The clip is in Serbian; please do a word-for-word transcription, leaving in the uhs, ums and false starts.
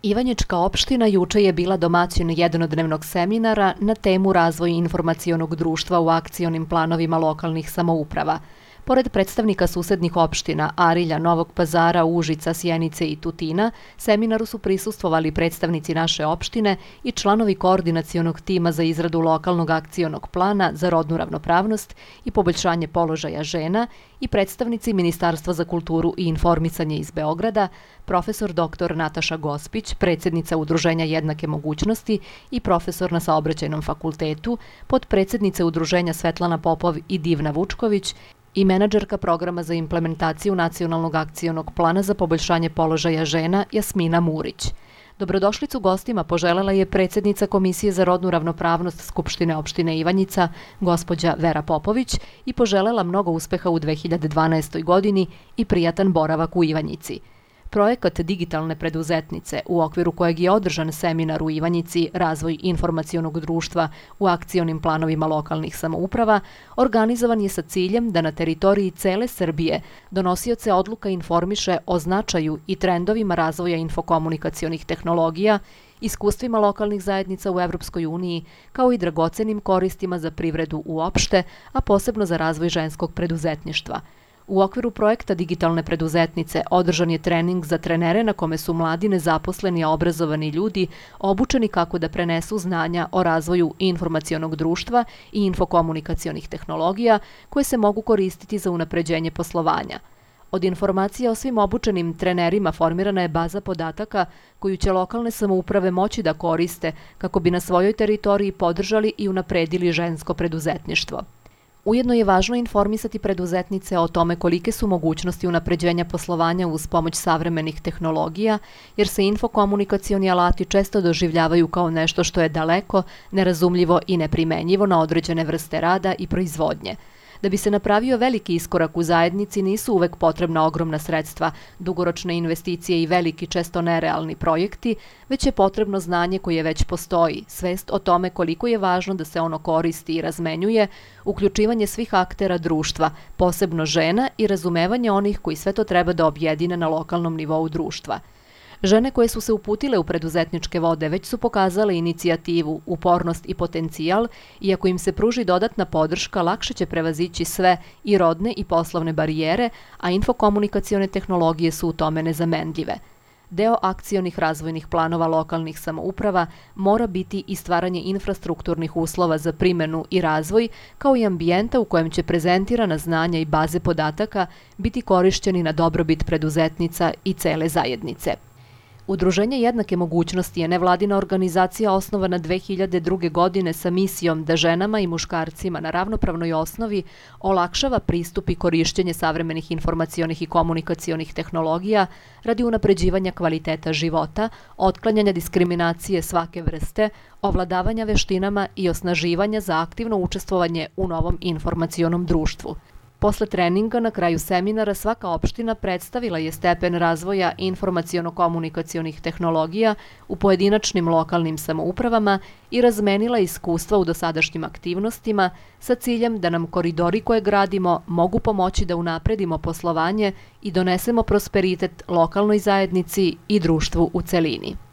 Ivanjička opština juče je bila domaćin jednodnevnog seminara na temu razvoj informacionog društva u akcionim planovima lokalnih samouprava. Pored predstavnika susednih opština Arilja, Novog Pazara, Užica, Sjenice i Tutina, seminaru su prisustvovali predstavnici naše opštine i članovi koordinacionog tima za izradu lokalnog akcionog plana za rodnu ravnopravnost i poboljšanje položaja žena i predstavnici Ministarstva za kulturu i informisanje iz Beograda, profesor doktor Nataša Gospić, predsjednica Udruženja jednake mogućnosti i profesor na Saobraćajnom fakultetu, potpredsjednice Udruženja Svetlana Popov i Divna Vučković i menadžerka programa za implementaciju Nacionalnog akcionog plana za poboljšanje položaja žena Jasmina Murić. Dobrodošlicu gostima poželela je predsjednica Komisije za rodnu ravnopravnost Skupštine opštine Ivanjica, gospođa Vera Popović, i poželela mnogo uspeha u dve hiljade dvanaestoj. godini i prijatan boravak u Ivanjici. Projekat digitalne preduzetnice, u okviru kojeg je održan seminar u Ivanjici Razvoj informacionog društva u akcionim planovima lokalnih samouprava, organizovan je sa ciljem da na teritoriji cele Srbije donosioce odluka informiše o značaju i trendovima razvoja infokomunikacionih tehnologija, iskustvima lokalnih zajednica u Evropskoj uniji, kao i dragocenim koristima za privredu uopšte, a posebno za razvoj ženskog preduzetništva. U okviru projekta digitalne preduzetnice održan je trening za trenere na kome su mladi nezaposleni a obrazovani ljudi obučeni kako da prenesu znanja o razvoju informacionog društva i infokomunikacionih tehnologija koje se mogu koristiti za unapređenje poslovanja. Od informacija o svim obučenim trenerima formirana je baza podataka koju će lokalne samouprave moći da koriste kako bi na svojoj teritoriji podržali i unapredili žensko preduzetništvo. Ujedno je važno informisati preduzetnice o tome kolike su mogućnosti unapređenja poslovanja uz pomoć savremenih tehnologija, jer se infokomunikacioni alati često doživljavaju kao nešto što je daleko, nerazumljivo i neprimenjivo na određene vrste rada i proizvodnje. Da bi se napravio veliki iskorak u zajednici nisu uvek potrebna ogromna sredstva, dugoročne investicije i veliki, često nerealni projekti, već je potrebno znanje koje već postoji, svest o tome koliko je važno da se ono koristi i razmenjuje, uključivanje svih aktera društva, posebno žena i razumevanje onih koji sve to treba da objedine na lokalnom nivou društva. Žene koje su se uputile u preduzetničke vode već su pokazale inicijativu, upornost i potencijal i ako im se pruži dodatna podrška, lakše će prevazići sve i rodne i poslovne barijere, a infokomunikacione tehnologije su u tome nezamenljive. Deo akcionih razvojnih planova lokalnih samouprava mora biti i stvaranje infrastrukturnih uslova za primenu i razvoj, kao i ambijenta u kojem će prezentirana znanja i baze podataka biti korišćeni na dobrobit preduzetnica i cele zajednice. Udruženje jednake mogućnosti je nevladina organizacija osnovana dve hiljade druge. godine sa misijom da ženama i muškarcima na ravnopravnoj osnovi olakšava pristup i korišćenje savremenih informacionih i komunikacionih tehnologija radi unapređivanja kvaliteta života, otklanjanja diskriminacije svake vrste, ovladavanja veštinama i osnaživanja za aktivno učestvovanje u novom informacionom društvu. Posle treninga na kraju seminara svaka opština predstavila je stepen razvoja informaciono-komunikacionih tehnologija u pojedinačnim lokalnim samoupravama i razmenila iskustva u dosadašnjim aktivnostima sa ciljem da nam koridori koje gradimo mogu pomoći da unapredimo poslovanje i donesemo prosperitet lokalnoj zajednici i društvu u celini.